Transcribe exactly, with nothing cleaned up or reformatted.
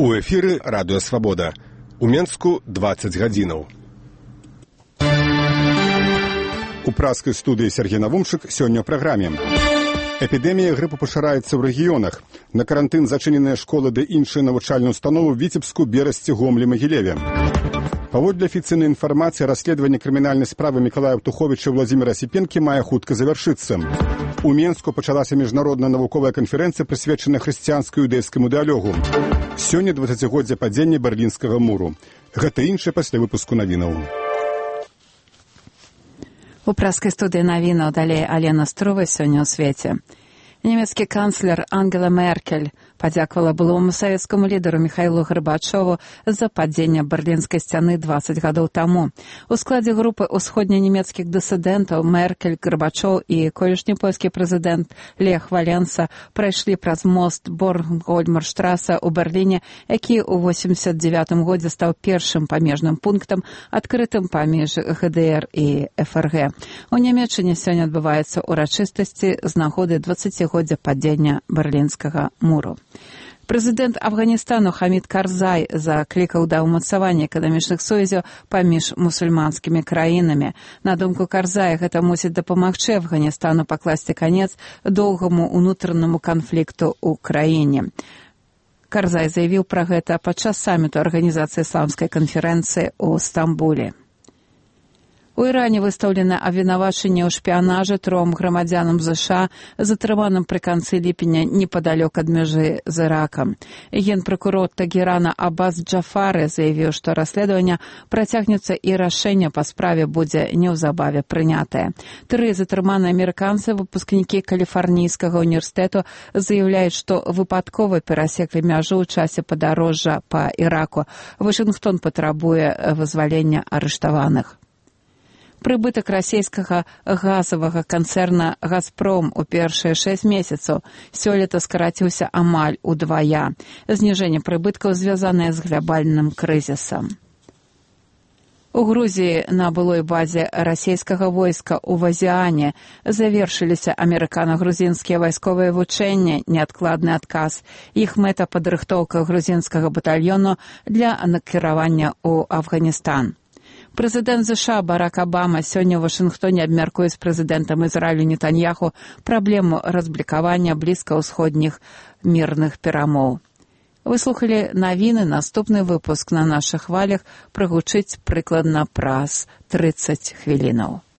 У эфіры радыё Свабода. У Менску дваццаць гадзінаў. У праскай студыі Сергей Навумчык сёння ў праграме. Эпідэмія грыпу пашыраецца ў рэгіёнах. На карантын зачыненыя школы ды іншыя навучальныя установы ў Віцебску, Берасці, Гомлі, Магілеве. Паводле афіцыйнай інфармацыі, расследаванне крымінальнай справы Мікалая Птуховіча і Владзіміра Сіпенкі мае хутка завяршыцца. У Менску пачалася міжнародная навуковая канферэнцыя, прысвечаная хрысціянскай іўдэйскаму дыялогу. Сёння дваццацігоддзе падзення Берлінскага муру. Гэта іншае пасля выпуску навінаў. У праскай студыі навінаў далей Алена Струва сёння ў свеце. Нямецкі канцлер Ангела Меркель падзякавала былому савецкаму лідару Міхаілу Гарбачову за падзенне Берлінскай сцяны дваццаць гадоў таму. У складзе групы ўсходненямецкіх дысідэнтаў Меркель, Гарбачоў і колішні польскі прэзідэнт Лех Валенса прайшлі праз мост Борнхольмерштраса ў Берліне, які ў восемдзесят дзевятым годзе стаў першым памежным пунктам, адкрытым паміж гэ дэ эр і эф эр гэ. У Нямецчыне сёння адбываюцца ўрачыстасці з нагоды дваццацігоддзя падзення Берлінскага муру. Прэзідэнт Афганістану Хамід Карзай заклікаў да ўмацавання эканамічных сувязяў паміж мусульманскімі краінамі. На думку Карзая, гэта мусіць дапамагчы Афганістану пакласці канец доўгаму ўнутранаму канфлікту ў краіне. Карзай заявіў пра гэта падчас саміту Арганізацыі ісламскай канферэнцыі ў Стамбуле. У Іране выстаўлена абвінавачанне ў шпіянажы тром грамадзянам ЗША, затрыманым пры канцы ліпеня непадалёк ад мяжы з Іракам. Генпракурор Тагерана Аббас Джафары заявіў, што расследаванне працягнецца і рашэнне па справе будзе неўзабаве прынятае. Тры затрыманыя амерыканцы, выпускнікі Каліфарнійскага універсітэту, заяўляюць, што выпадкова перасеклі мяжу ў часе падарожжа па Іраку. Вашынгтон патрабуе вызвалення арыштаваных. Прыбытак расійскага газавага канцэрна «Газпром» у першыя шэсць месяцаў сёлета скараціўся амаль удвая. Зніжэнне прыбыткаў звязанае з глабальным крызісам. У Грузіі на былой базе расійскага войска ў Вазіане завершыліся амерыкана-грузінскія вайсковыя вучэнні, неадкладны адказ. Іх мэта падрыхтоўка грузінскага батальёну для накіравання ў Афганістан. Прэзідэнт ЗША Барак Абама сёння ў Вашынгтоне абмяркуе з прэзідэнтам Ізраілю Нетаньяху праблему разблікавання блізкаўсходніх мірных перамоў. Вы слухалі навіны, наступны выпуск на нашых хвалях прагучыць прыкладна праз трыццаць хвілінаў.